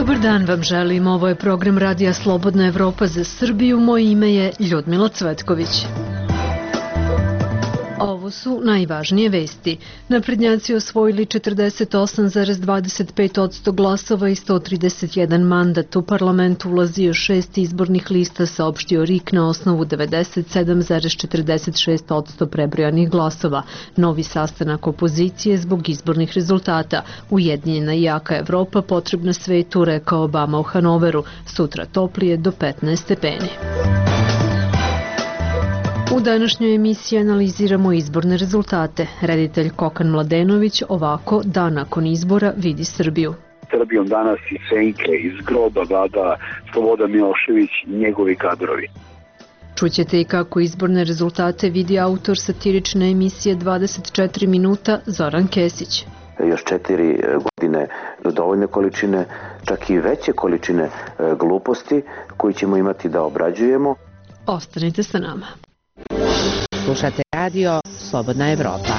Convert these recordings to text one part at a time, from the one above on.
Dobar dan vam želim, ovo je program Radija Slobodna Evropa za Srbiju, moje ime je Ljudmila Cvetković. Ovo su najvažnije vesti. Naprednjaci osvojili 48,25% glasova i 131 mandat. U parlamentu ulazio 6 izbornih lista, saopštio RIK na osnovu 97,46% prebrojanih glasova. Novi sastanak opozicije zbog izbornih rezultata. Ujedinjena i jaka Evropa potrebna svetu, rekao Obama u Hanoveru. Sutra toplije do 15 stepeni. U današnjoj emisiji analiziramo izborne rezultate. Reditelj Kokan Mladenović ovako dan nakon izbora vidi Srbiju. Srbijom danas i senke iz groba vlada Slobodan Milošević i njegovi kadrovi. Čućete i kako izborne rezultate vidi autor satirične emisije 24 minuta Zoran Kesić. Još 4 godine dovoljne količine, čak i veće količine gluposti koji ćemo imati da obrađujemo. Ostanite sa nama. Slušate radio Slobodna Evropa.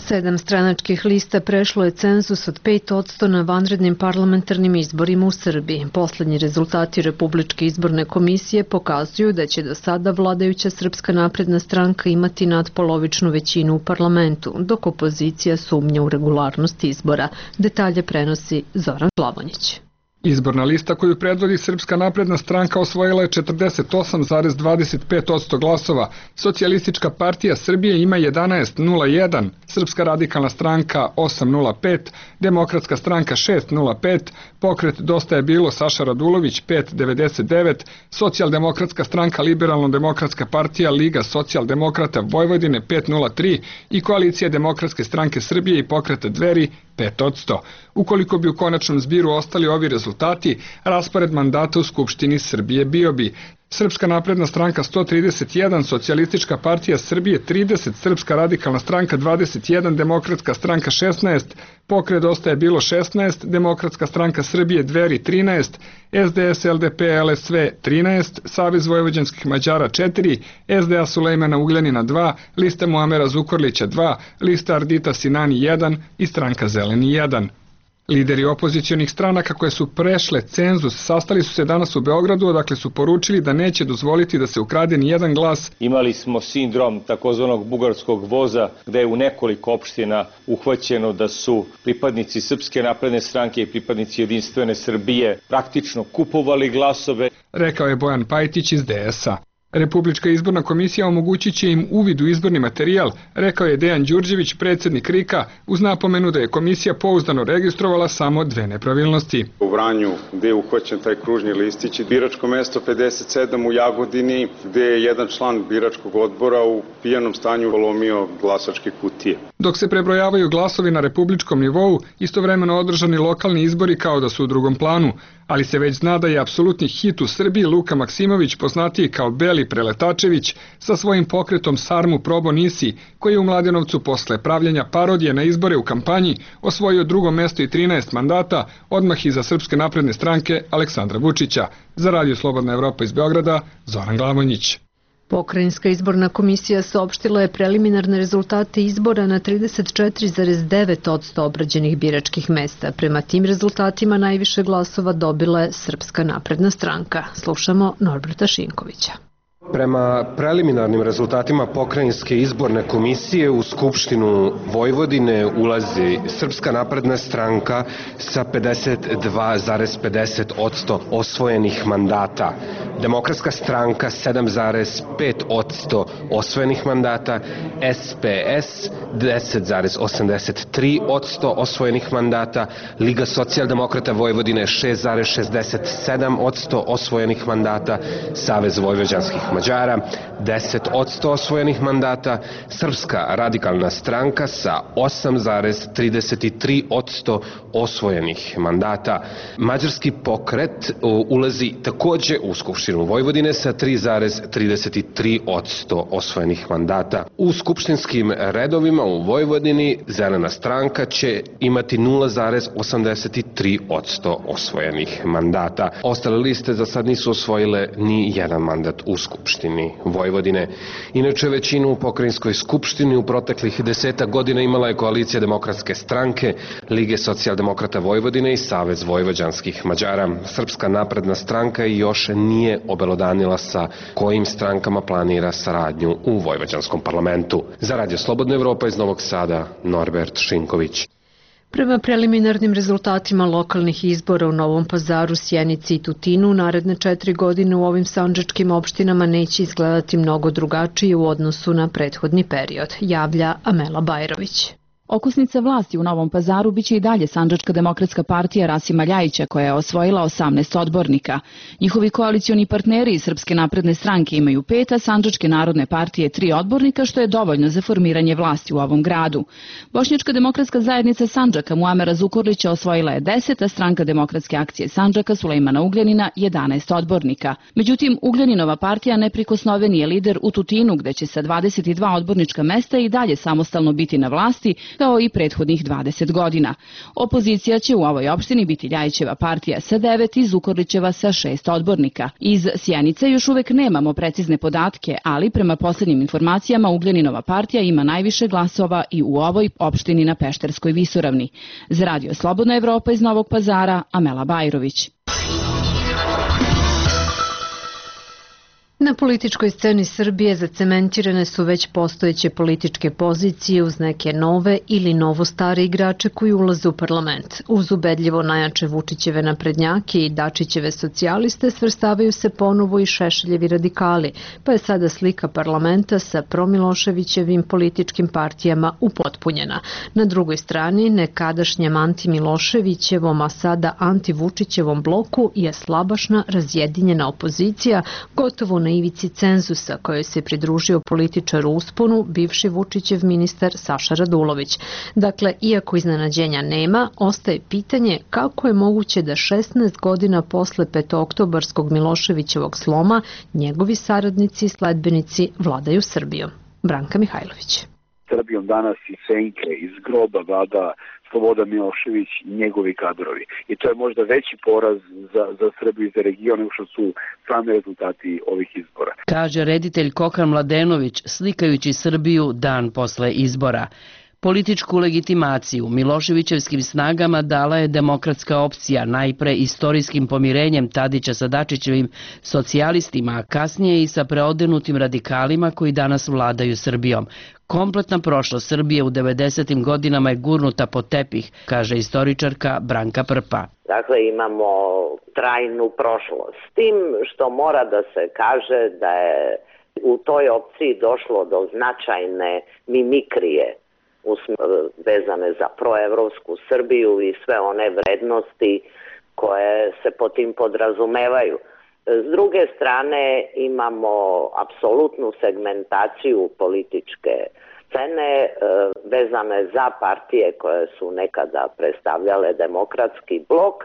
7 stranačkih lista prešlo je cenzus od 5% na vanrednim parlamentarnim izborima u Srbiji. Poslednji rezultati Republičke izborne komisije pokazuju da će do sada vladajuća Srpska napredna stranka imati nadpolovičnu većinu u parlamentu, dok opozicija sumnja u regularnost izbora. Detalje prenosi Zoran Glavonjić. Izborna lista koju predvodi Srpska napredna stranka osvojila je 48,25% glasova, Socijalistička partija Srbije ima 11,01%, Srpska radikalna stranka 8,05%, Demokratska stranka 6,05%, Pokret Dosta je bilo Saša Radulović 5,99%, Socijaldemokratska stranka Liberalno-demokratska partija Liga socijaldemokrata Vojvodine 5,03% i Koalicija demokratske stranke Srbije i Pokreta Dveri 5%. Ukoliko bi u konačnom zbiru ostali ovi rezultati, raspored mandata u Skupštini Srbije bio bi Srpska napredna stranka 131, Socijalistička partija Srbije 30, Srpska radikalna stranka 21, Demokratska stranka 16, Pokret Dosta je bilo 16, Demokratska stranka Srbije Dveri 13, SDS, LDP, LSV 13, Savez vojvođanskih Mađara 4, SDA Sulejmana Ugljanina 2, lista Muamera Zukorlića 2, lista Ardita Sinani 1 i stranka Zeleni 1. Lideri opozicionih stranaka koje su prešle cenzus sastali su se danas u Beogradu, odakle su poručili da neće dozvoliti da se ukrade ni jedan glas. Imali smo sindrom takozvanog bugarskog voza, gde je u nekoliko opština uhvaćeno da su pripadnici Srpske napredne stranke i pripadnici Jedinstvene Srbije praktično kupovali glasove. Rekao je Bojan Pajtić iz DS-a. Republička izborna komisija omogućit će im uvid u izborni materijal, rekao je Dejan Đurđević, predsjednik RIK-a, uz napomenu da je komisija pouzdano registrovala samo 2 nepravilnosti. U Vranju, gde je uhvaćen taj kružni listić, biračko mesto 57 u Jagodini, gde je jedan član biračkog odbora u pijanom stanju polomio glasačke kutije. Dok se prebrojavaju glasovi na republičkom nivou, istovremeno održani lokalni izbori kao da su u drugom planu, ali se već zna da je apsolutni hit u Srbiji Luka Maksimović, poznatiji kao Beli Preletačević, sa svojim pokretom Sarmu Probo Nisi, koji je u Mladenovcu posle pravljenja parodije na izbore u kampanji osvojio 2. mesto i 13 mandata, odmah iza Srpske napredne stranke Aleksandra Vučića. Za Radio Slobodna Evropa iz Beograda, Zoran Glavonjić. Pokrajinska izborna komisija saopštila je preliminarne rezultate izbora na 34,9% obrađenih biračkih mesta. Prema tim rezultatima najviše glasova dobila je Srpska napredna stranka. Slušamo Norberta Šinkovića. Prema preliminarnim rezultatima Pokrajinske izborne komisije u Skupštinu Vojvodine ulazi Srpska napredna stranka sa 52,50% osvojenih mandata, Demokratska stranka 7,5% osvojenih mandata, SPS 10,83% osvojenih mandata, Liga socijaldemokrata Vojvodine 6,67% osvojenih mandata, Savez vojvođanskih Mađara 10% osvojenih mandata, Srpska radikalna stranka sa 8,33% osvojenih mandata. Mađarski pokret ulazi takođe u Skupštinu Skupštinu Vojvodine sa 3,33% osvojenih mandata. U skupštinskim redovima u Vojvodini Zelena stranka će imati 0,83% osvojenih mandata. Ostale liste za sad nisu osvojile ni jedan mandat u Skupštini Vojvodine. Inače, većinu u pokrajinskoj skupštini u proteklih 10 godina imala je koalicija Demokratske stranke, Lige socijaldemokrata Vojvodine i Savez vojvođanskih Mađara. Srpska napredna stranka još nije obelodanila sa kojim strankama planira saradnju u vojvođanskom parlamentu. Za Radio Slobodna Evropa iz Novog Sada, Norbert Šinković. Prema preliminarnim rezultatima lokalnih izbora u Novom Pazaru, Sjenici i Tutinu, naredne 4 godine u ovim sandžačkim opštinama neće izgledati mnogo drugačije u odnosu na prethodni period, javlja Amela Bajrović. Okosnica vlasti u Novom Pazaru biće i dalje Sandžačka demokratska partija Rasima Ljajića, koja je osvojila 18 odbornika. Njihovi koalicioni partneri iz Srpske napredne stranke imaju 5, a Sandžačke narodne partije 3 odbornika, što je dovoljno za formiranje vlasti u ovom gradu. Bošnjačka demokratska zajednica Sandžaka Muamera Zukorlića osvojila je 10, a stranka Demokratske akcije Sandžaka Sulejmana Ugljanina 11 odbornika. Međutim, Ugljaninova partija neprikosnoveni je lider u Tutinu, gde će sa 22 odbornička mesta i dalje samostalno biti na vlasti, kao i prethodnih 20 godina. Opozicija će u ovoj opštini biti Ljajićeva partija sa 9 i Zukorlićeva sa 6 odbornika. Iz Sjenice još uvek nemamo precizne podatke, ali prema poslednjim informacijama Ugljaninova partija ima najviše glasova i u ovoj opštini na Pešterskoj visoravni. Za Radio Slobodna Evropa iz Novog Pazara, Amela Bajrović. Na političkoj sceni Srbije zacementirane su već postojeće političke pozicije uz neke nove ili novo-stare igrače koji ulaze u parlament. Uz ubedljivo najjače Vučićeve naprednjake i Dačićeve socijaliste svrstavaju se ponovo i Šešeljevi radikali, pa je sada slika parlamenta sa promiloševićevim političkim partijama upotpunjena. Na drugoj strani, nekadašnjem anti-Miloševićevom, a sada anti-Vučićevom bloku je slabašna, razjedinjena opozicija, gotovo na ivici cenzusa kojoj se pridružio političar u usponu, bivši Vučićev ministar Saša Radulović. Dakle, iako iznenađenja nema, ostaje pitanje kako je moguće da 16 godina posle petooktobarskog Miloševićevog sloma njegovi saradnici i sledbenici vladaju Srbijom. Branka Mihajlović. Srbijom danas i senke iz groba vlada Slobodan Milošević i njegovi kadrovi. I to je možda veći poraz za Srbiju i za region nego što su sami rezultati ovih izbora. Kaže reditelj Kokan Mladenović, slikajući Srbiju dan posle izbora. Političku legitimaciju Miloševićevskim snagama dala je demokratska opcija, najpre istorijskim pomirenjem Tadića sa Dačićevim socijalistima, a kasnije i sa preodenutim radikalima koji danas vladaju Srbijom. Kompletna prošlost Srbije u 90. godinama je gurnuta pod tepih, kaže istoričarka Branka Prpa. Dakle, imamo trajnu prošlost. S tim što mora da se kaže da je u toj opciji došlo do značajne mimikrije vezane za proevropsku Srbiju i sve one vrednosti koje se po tim podrazumevaju. S druge strane imamo apsolutnu segmentaciju političke scene vezane za partije koje su nekada predstavljale demokratski blok,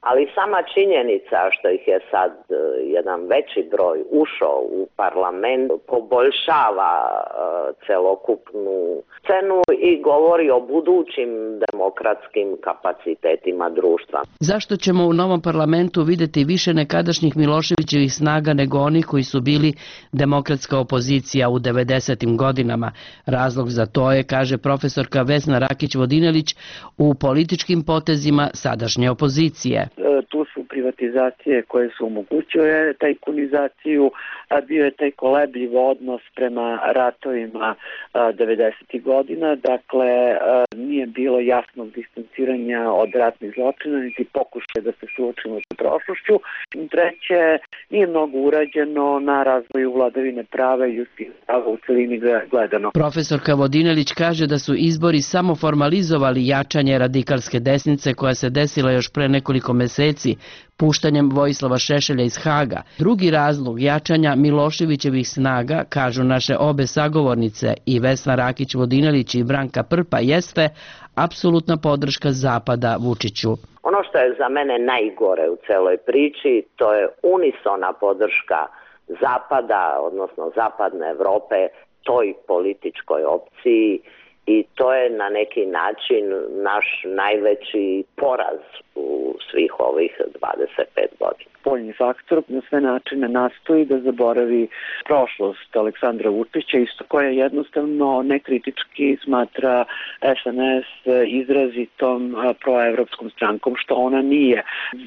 ali sama činjenica što ih je sad jedan veći broj ušao u parlament poboljšava celokupnu scenu i govori o budućim demokratskim kapacitetima društva. Zašto ćemo u novom parlamentu videti više nekadašnjih Miloševićevih snaga nego onih koji su bili demokratska opozicija u 90. godinama? Razlog za to je, kaže profesorka Vesna Rakić-Vodinelić, u političkim potezima sadašnje opozicije. Tu su privatizacije koje su omogućile tajkunizaciju, bio je taj kolebljiv odnos prema ratovima 90. godina, dakle nije bilo jasnog distanciranja od ratnih zločina, niti pokušaja da se suočimo sa prošlošću. Treće, nije mnogo urađeno na razvoju vladavine prava i ljudskih prava u celini gledano. Profesorka Vodinelić kaže da su izbori samo formalizovali jačanje radikalske desnice koja se desila još pre nekoliko meseci puštanjem Vojislava Šešelja iz Haga. Drugi razlog jačanja Miloševićevih snaga, kažu naše obe sagovornice i Vesna Rakić-Vodinelić i Branka Prpa, jeste apsolutna podrška Zapada Vučiću. Ono što je za mene najgore u celoj priči, to je unisona podrška Zapada, odnosno Zapadne Evrope, toj političkoj opciji, i to je na neki način naš najveći poraz u svih ovih 25 godina. Spoljni faktor na sve načine nastoji da zaboravi prošlost Aleksandra Vučića, isto koja jednostavno nekritički smatra SNS izrazitom proevropskom strankom, što ona nije.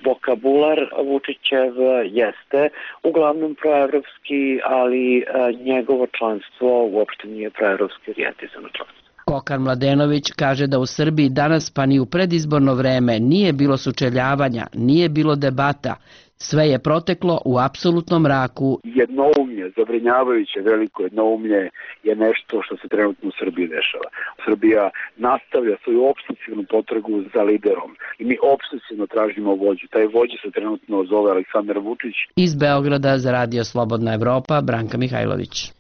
Vokabular Vučićev jeste uglavnom proevropski, ali njegovo članstvo uopšte nije proevropski orijentizano članstvo. Kokan Mladenović kaže da u Srbiji danas pa ni u predizborno vreme nije bilo sučeljavanja, nije bilo debata. Sve je proteklo u apsolutnom mraku. Jednoumlje, zabrinjavajuće veliko jednoumlje je nešto što se trenutno u Srbiji dešava. Srbija nastavlja svoju opsesivnu potragu za liderom i mi opsesivno tražimo vođu. Taj vođa se trenutno zove Aleksandar Vučić. Iz Beograda za Radio Slobodna Evropa, Branka Mihajlović.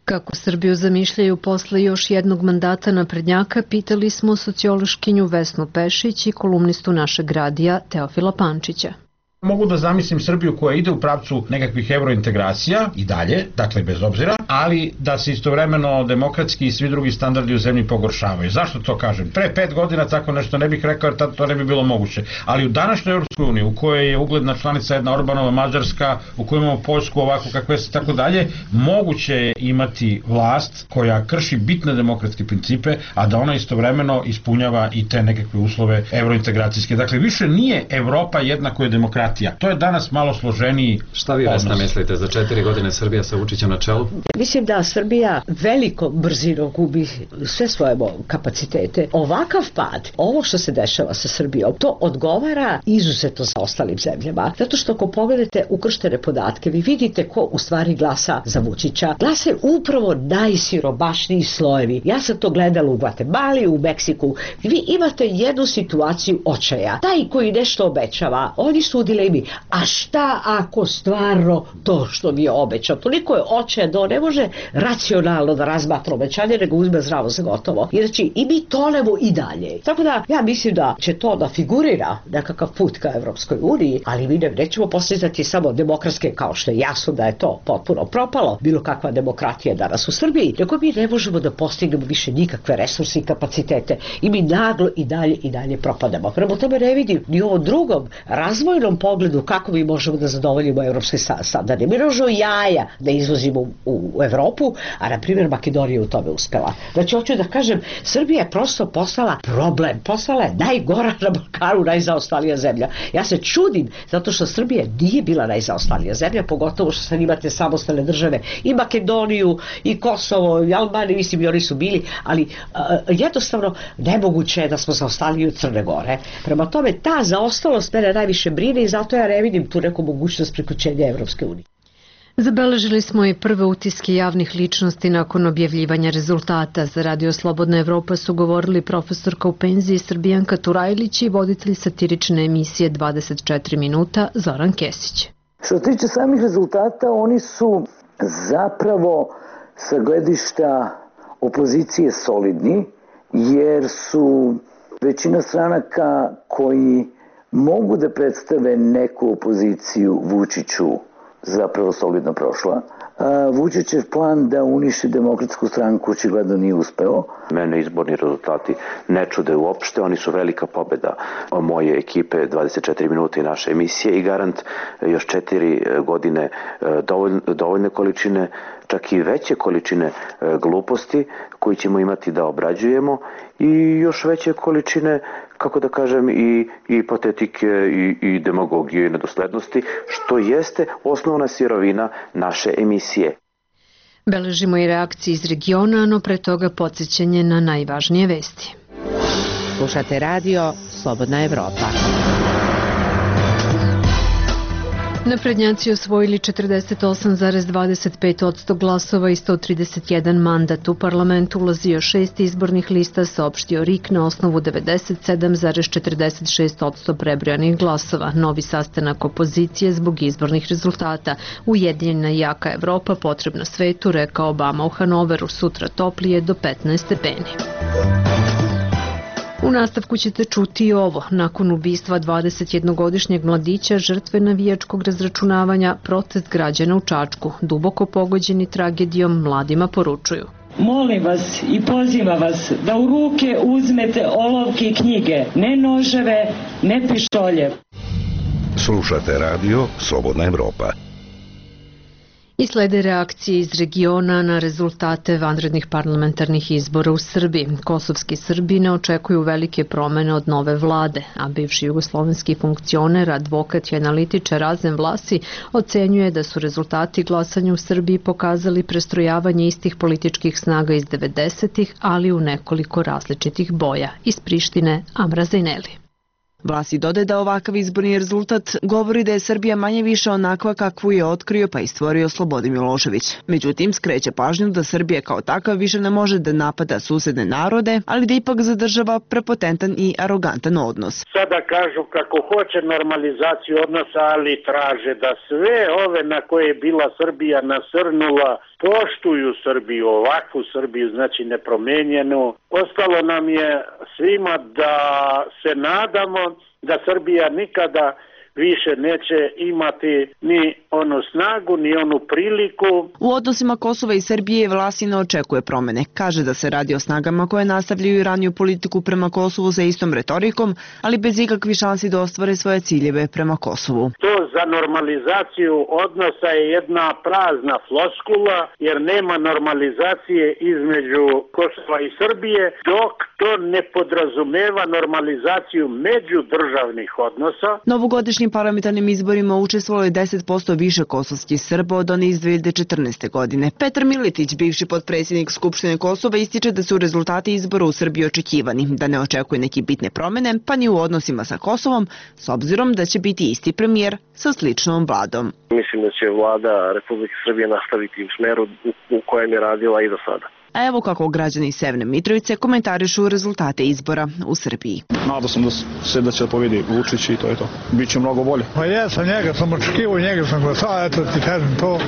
Kako Srbiju zamišljaju posle još jednog mandata naprednjaka, pitali smo sociološkinju Vesnu Pešić i kolumnistu našeg radija Teofila Pančića. Mogu da zamislim Srbiju koja ide u pravcu nekakvih evrointegracija i dalje, dakle bez obzira, ali da se istovremeno demokratski i svi drugi standardi u zemlji pogoršavaju. Zašto to kažem? Pre 5 godina tako nešto ne bih rekao jer tad to ne bi bilo moguće. Ali u današnjoj Europskoj uniji, u kojoj je ugledna članica jedna Orbanova Mađarska, u kojoj imamo Poljsku ovako kakve se tako dalje, moguće je imati vlast koja krši bitne demokratske principe, a da ona istovremeno ispunjava i te nekakve uslove evrointegracijske. Dakle, više nije Evropa jednako je demokratija. To je danas malo složeniji odnos. Šta vi, Vesna, mislite za 4 godine Srbija sa Vučićem na čelu? Mislim da Srbija veliko brzinom gubi sve svoje kapacitete. Ovakav pad, ovo što se dešava sa Srbijom, to odgovara izuzetno za ostalim zemljama. Zato što ako pogledate ukrštene podatke, vi vidite ko u stvari glasa za Vučića. Glase upravo najsiromašniji slojevi. Ja sam to gledala u Gvatemali, u Meksiku. Vi imate jednu situaciju očaja. Taj koji nešto obećava, oni su u dilemi. A šta ako stvarno to što mi je obećao? Toliko je očaja da on ne može racionalno da razmatra obećanje, nego uzme zdravo za gotovo. I znači, i mi tonemo i dalje. Tako da, ja mislim da će to da figurira nekakav put ka Evropskoj uniji, ali mi nećemo postizati samo demokratske, kao što je jasno da je to potpuno propalo, bilo kakva demokratija danas u Srbiji, nego mi ne možemo da postignemo više nikakve resurse i kapacitete. I mi naglo i dalje propadamo. Prema tome ne vidim ni ovom drugom razvojnom pogledu kako mi možemo da zadovoljimo evropske standarde. Mi možemo jaja da izvozimo u Evropu, a na primjer Makedonija u tome uspela. Znači, hoću da kažem, Srbija je prosto postala problem, postala je najgora na Balkanu, najzaostalija zemlja. Ja se čudim, zato što Srbija nije bila najzaostalija zemlja, pogotovo što sad imate samostalne države i Makedoniju, i Kosovo, i Albaniju, mislim i oni su bili, ali jednostavno nemoguće je da smo zaostali od Crne Gore. Prema tome, ta zaostalost mene najviše brine i zato ja ne vidim tu neku mogućnost priključenja Evropske unije. Zabeležili smo i prve utiske javnih ličnosti nakon objavljivanja rezultata. Za Radio Slobodna Evropa su govorili profesorka u penziji Srbijanka Turajlić i voditelj satirične emisije 24 minuta Zoran Kesić. Što se tiče samih rezultata, oni su zapravo sa gledišta opozicije solidni, jer su većina stranaka koji mogu da predstave neku opoziciju Vučiću zapravo solidno prošla. Vučićev plan da uniši Demokratsku stranku očigledno nije uspeo. Mene izborni rezultati ne čude uopšte, oni su velika pobeda moje ekipe 24 minuta i naše emisije i garant još 4 godine dovoljne količine, čak i veće količine gluposti koji ćemo imati da obrađujemo i još veće količine, kako da kažem, i patetike i demagogije i nedoslednosti, što jeste osnovna sirovina naše emisije. Beležimo i reakcije iz regiona, no pre toga podsjećanje na najvažnije vesti. Slušate radio Slobodna Evropa. Naprednjaci osvojili 48,25% glasova i 131 mandat. U parlamentu ulazio 6 izbornih lista, saopštio RIK na osnovu 97,46% prebrojanih glasova. Novi sastanak opozicije zbog izbornih rezultata. Ujedinjena i jaka Evropa potrebna svetu, rekao Obama u Hanoveru. Sutra toplije do 15 stepeni. U nastavku ćete čuti i ovo. Nakon ubistva 21-godišnjeg mladića, žrtve navijačkog razračunavanja, protest građana u Čačku. Duboko pogođeni tragedijom, mladima poručuju. Molim vas i pozivam vas da u ruke uzmete olovke i knjige, ne noževe, ne pištolje. Slušate radio Slobodna Evropa. I slede reakcije iz regiona na rezultate vanrednih parlamentarnih izbora u Srbiji. Kosovski Srbi ne očekuju velike promene od nove vlade, a bivši jugoslovenski funkcioner, advokat i analitičar Razem Vlasi ocenjuje da su rezultati glasanja u Srbiji pokazali prestrojavanje istih političkih snaga iz 90-ih, ali u nekoliko različitih boja. Iz Prištine, Amra Zajneli. Vlasi dodaje da ovakav izborni rezultat govori da je Srbija manje više onakva kakvu je otkrio pa i stvorio Slobodan Milošević. Međutim, skreće pažnju da Srbija kao takav više ne može da napada susedne narode, ali da ipak zadržava prepotentan i arogantan odnos. Sada kažu kako hoće normalizaciju odnosa, ali traže da sve ove na koje je bila Srbija nasrnula poštuju Srbiju, ovakvu Srbiju, znači nepromenjenu. Ostalo nam je svima da se nadamo da Srbija nikada više neće imati ni onu snagu, ni onu priliku. U odnosima Kosova i Srbije Vlasi ne očekuje promene. Kaže da se radi o snagama koje nastavljaju raniju politiku prema Kosovu sa istom retorikom, ali bez ikakvih šansi da ostvare svoje ciljeve prema Kosovu. To za normalizaciju odnosa je jedna prazna floskula, jer nema normalizacije između Kosova i Srbije, dok to ne podrazumeva normalizaciju međudržavnih odnosa. Novogodišnjim parlamentarnim izborima učestvovalo je 10% više kosovskih Srba od one iz 2014. godine. Petar Miletić, bivši potpredsjednik Skupštine Kosova, ističe da su rezultati izbora u Srbiji očekivani, da ne očekuje neke bitne promene, pa ni u odnosima sa Kosovom, s obzirom da će biti isti premijer sa sličnom vladom. Mislim da će vlada Republike Srbije nastaviti u smeru u kojem je radila i do sada. A evo kako građani Severne Mitrovice komentarišu rezultate izbora u Srbiji. Nadao sam da će pobedi Vučić i to je to. Biće mnogo bolje. Pa jesam, njega sam očekivao, njega sam glasao, eto ti kažem to.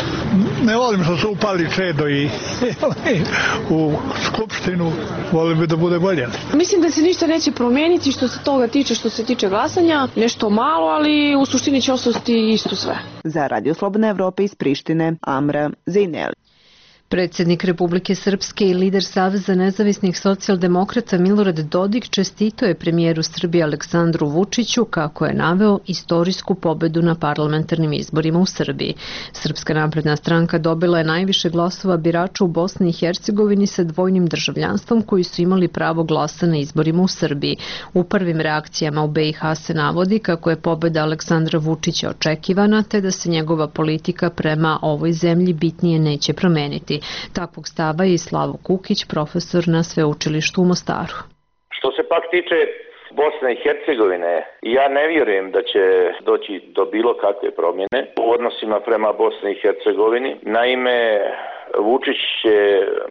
Ne volim što su upali Čedo i u Skupštinu, volim bi da bude bolje. Mislim da se ništa neće promeniti što se toga tiče, što se tiče glasanja. Nešto malo, ali u suštini će ostati isto sve. Za Radio Slobodna Evropa iz Prištine, Amra Zajneli. Predsjednik Republike Srpske i lider Saveza nezavisnih socijaldemokrata Milorad Dodik čestito je premijeru Srbije Aleksandru Vučiću kako je naveo istorijsku pobedu na parlamentarnim izborima u Srbiji. Srpska napredna stranka dobila je najviše glasova birača u Bosni i Hercegovini sa dvojnim državljanstvom koji su imali pravo glasa na izborima u Srbiji. U prvim reakcijama u BiH se navodi kako je pobeda Aleksandra Vučića očekivana te da se njegova politika prema ovoj zemlji bitnije neće promeniti. Takvog stava je i Slavo Kukić, profesor na sveučilištu u Mostaru. Što se pak tiče Bosne i Hercegovine, ja ne vjerujem da će doći do bilo kakve promjene u odnosima prema Bosni i Hercegovini. Naime, Vučić će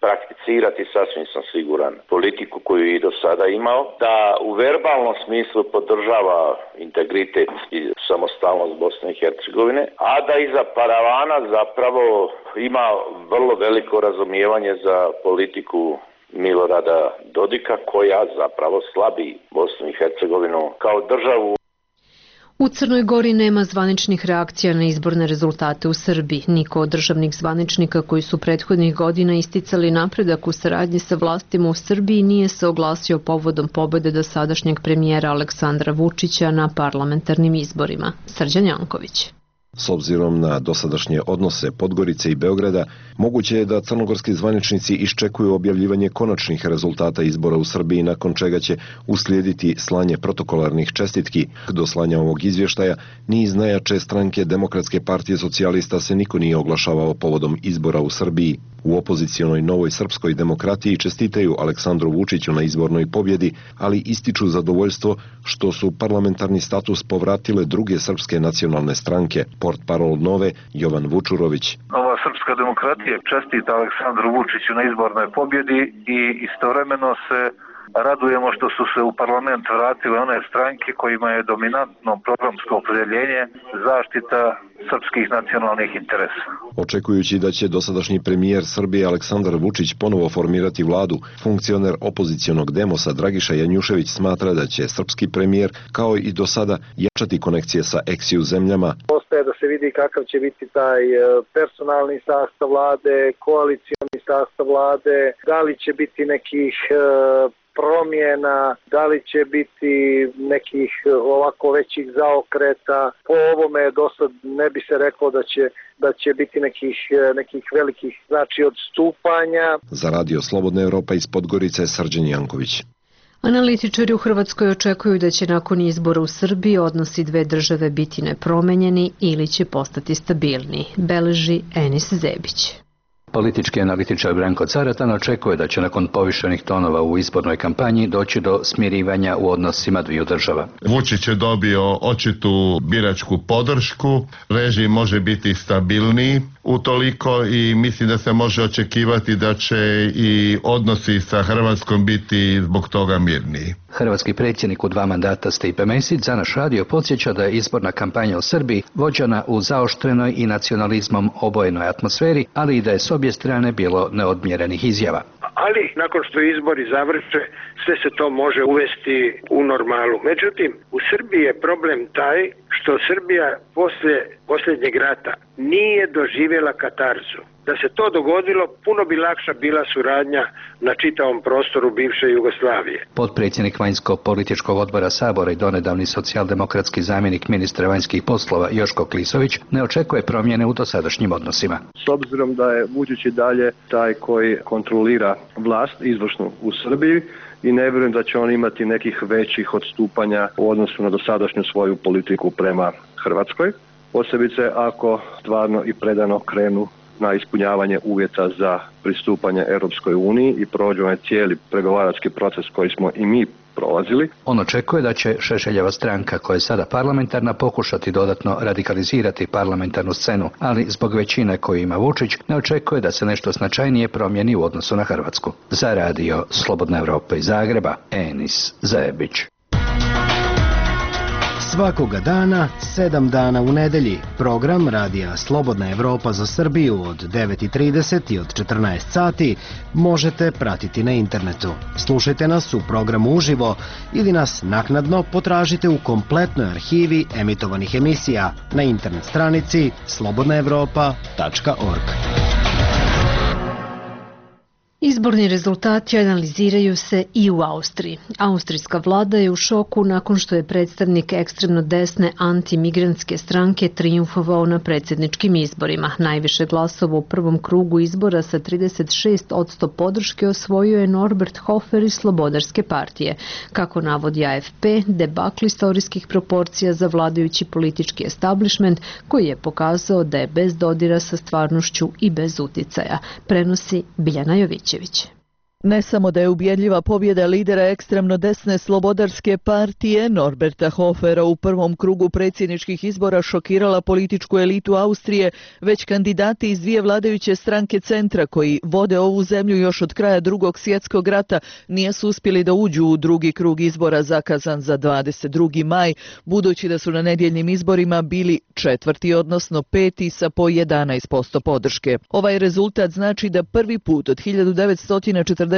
prakticirati, sasvim sam siguran, politiku koju je i do sada imao, da u verbalnom smislu podržava integritet i samostalnost Bosne i Hercegovine, a da iza paravana zapravo ima vrlo veliko razumijevanje za politiku Milorada Dodika, koja zapravo slabi Bosnu i Hercegovinu kao državu. U Crnoj Gori nema zvaničnih reakcija na izborne rezultate u Srbiji. Niko od državnih zvaničnika koji su prethodnih godina isticali napredak u saradnji sa vlastima u Srbiji nije se oglasio povodom pobede dosadašnjeg premijera Aleksandra Vučića na parlamentarnim izborima. Srđan Janković. S obzirom na dosadašnje odnose Podgorice i Beograda, moguće je da crnogorski zvaničnici iščekuju objavljivanje konačnih rezultata izbora u Srbiji, nakon čega će uslijediti slanje protokolarnih čestitki. Do slanja ovog izvještaja ni iz najjače stranke Demokratske partije socijalista se niko nije oglašavao povodom izbora u Srbiji. U opozicionoj Novoj srpskoj demokratiji čestitaju Aleksandru Vučiću na izbornoj pobjedi, ali ističu zadovoljstvo što su parlamentarni status povratile druge srpske nacionalne stranke. Portparol Nove, Jovan Vučurović. Nova srpska demokratija čestita Aleksandru Vučiću na izbornoj pobjedi i istovremeno se radujemo što su se u parlament vratile one stranke kojima je dominantno programsko opredeljenje zaštita srpskih nacionalnih interesa. Očekujući da će dosadašnji premijer Srbije Aleksandar Vučić ponovo formirati vladu, funkcioner opozicionog Demosa Dragiša Janjušević smatra da će srpski premijer, kao i do sada, jačati konekcije sa ex-ju zemljama. Ostaje da se vidi kakav će biti taj personalni sastav vlade, koalicioni sastav vlade, da li će biti nekih promjena, da li će biti nekih ovako većih zaokreta. Po ovome do sad ne bi se reklo da će biti nekih velikih odstupanja. Za Radio Slobodna Evropa iz Podgorice, Srđan Janković. Analitičari u Hrvatskoj očekuju da će nakon izbora u Srbiji odnosi dve države biti nepromenjeni ili će postati stabilni, beleži Enis Zebić. Politički analitičar Branko Caratan očekuje da će nakon povišenih tonova u izbornoj kampanji doći do smirivanja u odnosima dviju država. Vučić je dobio očitu biračku podršku, režim može biti stabilniji utoliko i mislim da se može očekivati da će i odnosi sa Hrvatskom biti zbog toga mirniji. Hrvatski predsjednik u 2 mandata Stipe Mesić za naš radio podsjeća da je izborna kampanja u Srbiji vođena u zaoštrenoj i nacionalizmom obojenoj atmosferi, ali i da je s obje strane bilo neodmjerenih izjava. Ali nakon što izbori završe, sve se to može uvesti u normalu. Međutim, u Srbiji je problem taj što Srbija posle posljednjeg rata nije doživjela katarzu. Da se to dogodilo, puno bi lakša bila suradnja na čitavom prostoru bivše Jugoslavije. Potpredsjednik vanjsko-političkog odbora Sabora i donedavni socijaldemokratski zamjenik ministra vanjskih poslova Joško Klisović ne očekuje promjene u dosadašnjim odnosima. S obzirom da je Vučić i dalje taj koji kontrolira vlast izvršnu u Srbiji i ne vjerujem da će on imati nekih većih odstupanja u odnosu na dosadašnju svoju politiku prema Hrvatskoj. Posebice ako stvarno i predano krenu na ispunjavanje uvjeta za pristupanje Europskoj uniji i prođu onaj cijeli pregovarački proces koji smo i mi prolazili. On očekuje da će Šešeljeva stranka, koja je sada parlamentarna, pokušati dodatno radikalizirati parlamentarnu scenu, ali zbog većine koju ima Vučić ne očekuje da se nešto značajnije promijeni u odnosu na Hrvatsku. Za radio Slobodna Evropa iz Zagreba, Enis Zebić. Svakoga dana, 7 dana u nedelji, program Radija Slobodna Evropa za Srbiju od 9:30 i od 14 sati možete pratiti na internetu. Slušajte nas u programu uživo ili nas naknadno potražite u kompletnoj arhivi emitovanih emisija na internet stranici slobodnaevropa.org. Izborni rezultati analiziraju se i u Austriji. Austrijska vlada je u šoku nakon što je predstavnik ekstremno desne antimigrantske stranke trijumfovao na predsjedničkim izborima. Najviše glasova u prvom krugu izbora sa 36% podrške osvojio je Norbert Hofer iz Slobodarske partije. Kako navodi AFP, debakl istorijskih proporcija za vladajući politički establishment koji je pokazao da je bez dodira sa stvarnošću i bez uticaja, prenosi Biljana Jovićević. Ne samo da je ubjedljiva pobjeda lidera ekstremno desne Slobodarske partije Norberta Hofera u prvom krugu predsjedničkih izbora šokirala političku elitu Austrije, već kandidati iz dvije vladajuće stranke centra koji vode ovu zemlju još od kraja Drugog svjetskog rata nisu uspjeli da uđu u drugi krug izbora zakazan za 22. maj, budući da su na nedjeljnim izborima bili četvrti, odnosno peti sa po 11% podrške. Ovaj rezultat znači da prvi put od 1945.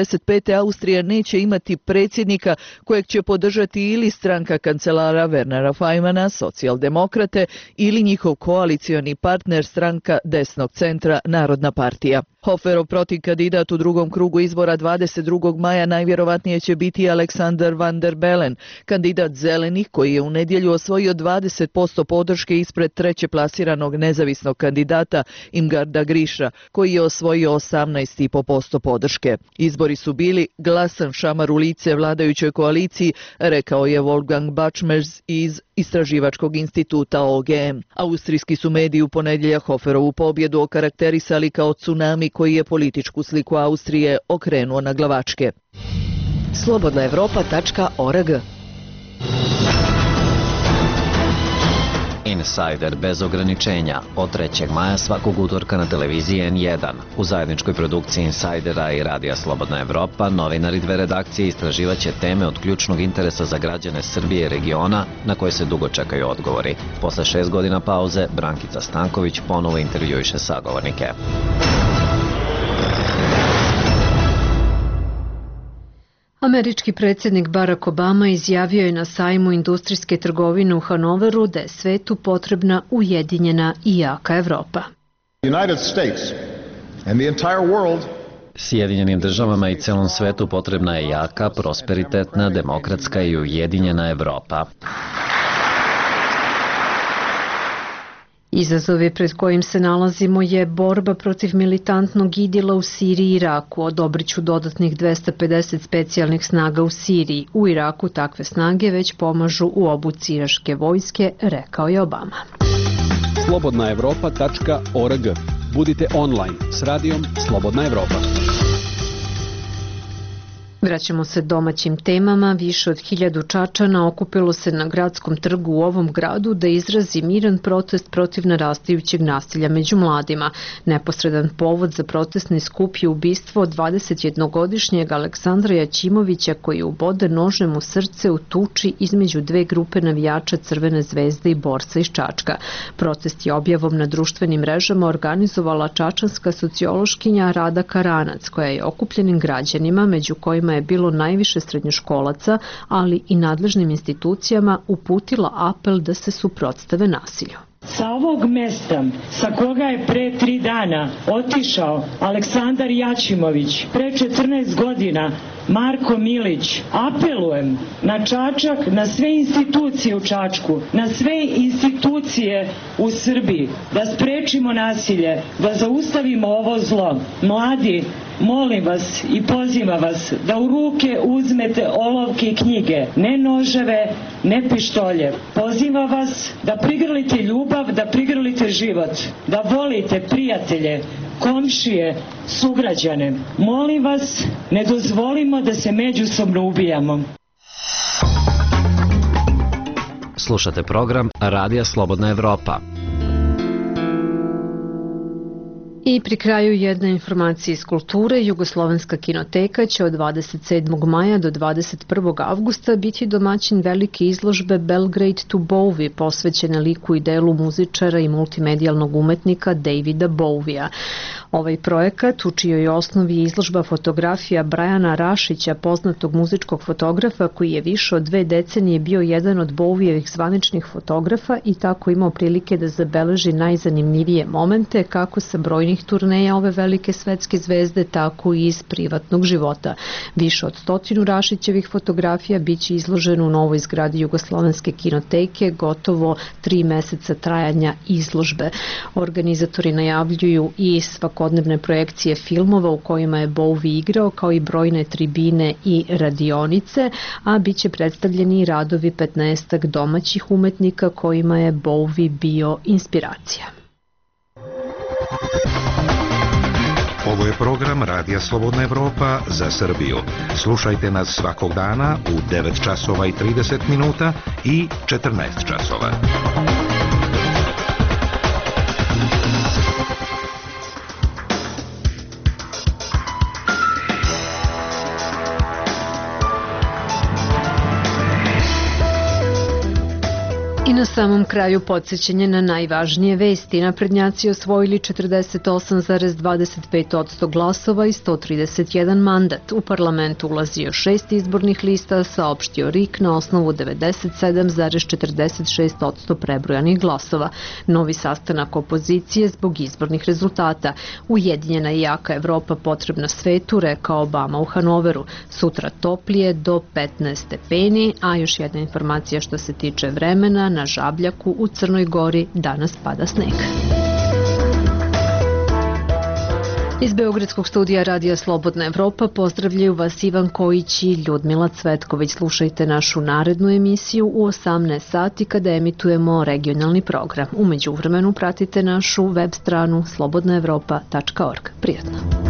Austrija neće imati predsjednika kojeg će podržati ili stranka kancelara Wernera Fajmana, socijaldemokrate, ili njihov koalicioni partner stranka desnog centra Narodna partija. Hoferov protivkandidat u drugom krugu izbora 22. maja najvjerovatnije će biti Alexander van der Bellen, kandidat zelenih koji je u nedjelju osvojio 20% podrške ispred treće plasiranog nezavisnog kandidata Imgarda Griša, koji je osvojio 18,5% podrške. Izbori su bili glasan šamar u lice vladajućoj koaliciji, rekao je Wolfgang Bačmers iz istraživačkog instituta OGM. Austrijski su mediji u ponedjeljak Hoferovu pobjedu okarakterisali kao tsunami koji je političku sliku Austrije okrenuo na glavačke. slobodnaevropa.org Insider bez ograničenja od 3. maja svakog utorka na televiziji N1. U zajedničkoj produkciji Insidera i Radija Slobodna Evropa novinari dve redakcije istraživaće teme od ključnog interesa za građane Srbije i regiona na koje se dugo čekaju odgovori. Posle 6 godina pauze, Brankica Stanković ponovo intervjuiše sagovornike. Američki predsjednik Barack Obama izjavio je na sajmu industrijske trgovine u Hanoveru da je svetu potrebna ujedinjena i jaka Evropa. Sjedinjenim državama i celom svetu potrebna je jaka, prosperitetna, demokratska i ujedinjena Evropa. Izazovi pred kojim se nalazimo je borba protiv militantnog idila u Siriji i Iraku. Odobriću dodatnih 250 specijalnih snaga u Siriji. U Iraku takve snage već pomažu u obuci iračke vojske, rekao je Obama. slobodnaevropa.org. Budite online s radijom Slobodna Evropa. Vraćamo se domaćim temama. Više od 1000 Čačana okupilo se na gradskom trgu u ovom gradu da izrazi miran protest protiv narastajućeg nasilja među mladima. Neposredan povod za protestni skup je ubistvo 21-godišnjeg Aleksandra Jaćimovića koji ubode nožem u srce u tuči između dve grupe navijača Crvene zvezde i borca iz Čačka. Protest je objavom na društvenim mrežama organizovala čačanska sociološkinja Rada Karanac, koja je okupljenim građanima, među kojima je bilo najviše srednjoškolaca, ali i nadležnim institucijama, uputila apel da se suprotstave nasilju. Sa ovog mesta sa koga je pre 3 dana otišao Aleksandar Jaćimović, pre 14 godina Marko Milić, apelujem na Čačak, na sve institucije u Čačku, na sve institucije u Srbiji, da sprečimo nasilje, da zaustavimo ovo zlo. Mladi, molim vas i pozivam vas da u ruke uzmete olovke i knjige, ne noževe, ne pištolje. Pozivam vas da prigrlite ljubav, da prigrlite život, da volite prijatelje, komšije, sugrađane. Molim vas, ne dozvolimo da se međusobno ubijamo. Slušate program Radija Slobodna Evropa. I pri kraju jedna informacija iz kulture. Jugoslovenska kinoteka će od 27. maja do 21. avgusta biti domaćin velike izložbe Belgrade to Bowie, posvećene liku i delu muzičara i multimedijalnog umetnika Davida Bowie-a. Ovaj projekat, u čijoj osnovi je izložba fotografija Brajana Rašića, poznatog muzičkog fotografa koji je više od 2 decenije bio jedan od Bowievih zvaničnih fotografa i tako imao prilike da zabeleži najzanimljivije momente kako sa brojnih turneja ove velike svetske zvezde, tako i iz privatnog života. Više od 100 Rašićevih fotografija biće izloženo u novoj zgradi Jugoslovenske kinoteke, gotovo 3 meseca trajanja izložbe. Organizatori najavljuju i svakodnevne projekcije filmova u kojima je Bowie igrao, kao i brojne tribine i radionice, a biće predstavljeni i radovi 15 domaćih umetnika kojima je Bowie bio inspiracija. Ovo je program Radija Slobodna Evropa za Srbiju. Slušajte nas svakog dana u 9 časova i 30 minuta i 14 časova. I na samom kraju podsjećanje na najvažnije vesti. Naprednjaci osvojili 48,25% glasova i 131 mandat. U parlamentu ulazio 6 izbornih lista, saopštio RIK na osnovu 97,46% prebrojanih glasova. Novi sastanak opozicije zbog izbornih rezultata. Ujedinjena i jaka Evropa potrebna svetu, rekao Obama u Hanoveru. Sutra toplije do 15 stepeni, a još jedna informacija što se tiče vremena. Na Žabljaku u Crnoj Gori danas pada sneg. Iz Beogradskog studija Radija Slobodna Evropa pozdravljaju vas Ivan Kojić i Ljudmila Cvetković. Slušajte našu narednu emisiju u 18 sati kada emitujemo regionalni program. U međuvremenu pratite našu web stranu slobodnaevropa.org. Prijatno.